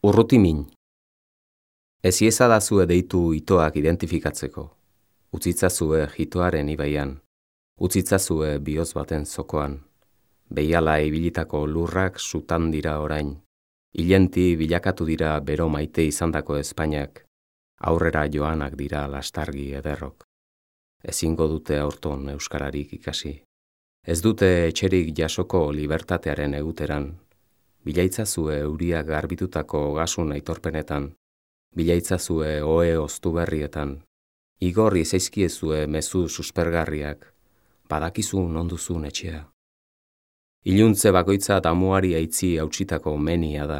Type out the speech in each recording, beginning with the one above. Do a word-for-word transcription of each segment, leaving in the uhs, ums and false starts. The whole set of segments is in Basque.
Urrutimin. Ez iezadazue deitu itoak identifikatzeko. Utzitzazue jitoaren ibaian. Utzitzazue bihotz baten zokoan. Behiala ibilitako lurrak sutan dira orain. Hilenti bilakatu dira bero maite izandako Espainiak. Aurrera joanak dira lastargi ederrok. Ezingo dute aurton euskararik ikasi. Ez dute etxerik jasoko libertatearen eguteran. Bilaitzazue euriak garbitutako gasun aitorpenetan. Bilaitzazue ohe oztu berrietan. Igorri zaizkiezue mezu suspergarriak. Badakizu nonduzun etxea. Iluntze bakoitza damuari aitzi hautsitako menia da.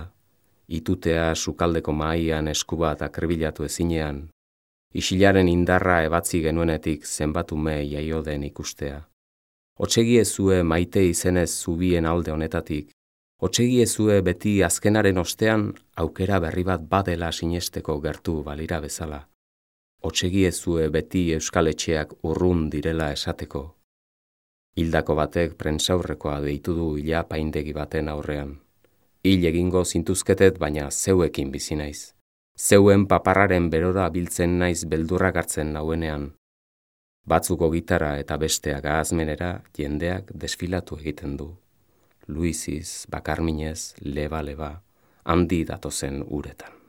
Itutea sukaldeko mahaian eskubat akrebilatu ezinean. Isilaren indarra ebatzi genuenetik zenbatume jaio den ikustea. Otsegiezue maite izenez zubien alde honetatik. Otsegiezue beti azkenaren ostean aukera berri bat badela sinesteko gertu balira bezala. Otsegiezue beti euskal etxeak urrun direla esateko. Hildako batek prentsaurrekoa deitu du ila paindegi baten aurrean. Hil egingo zintuzketet baina zeuekin bizi naiz. Zeuen paparraren berora biltzen naiz beldurrak hartzen nauenean. Batzuko gitara eta besteak ahazmenera jendeak desfilatu egiten du. Luiziz, bakarminez, leba-leba, handi datozen uretan.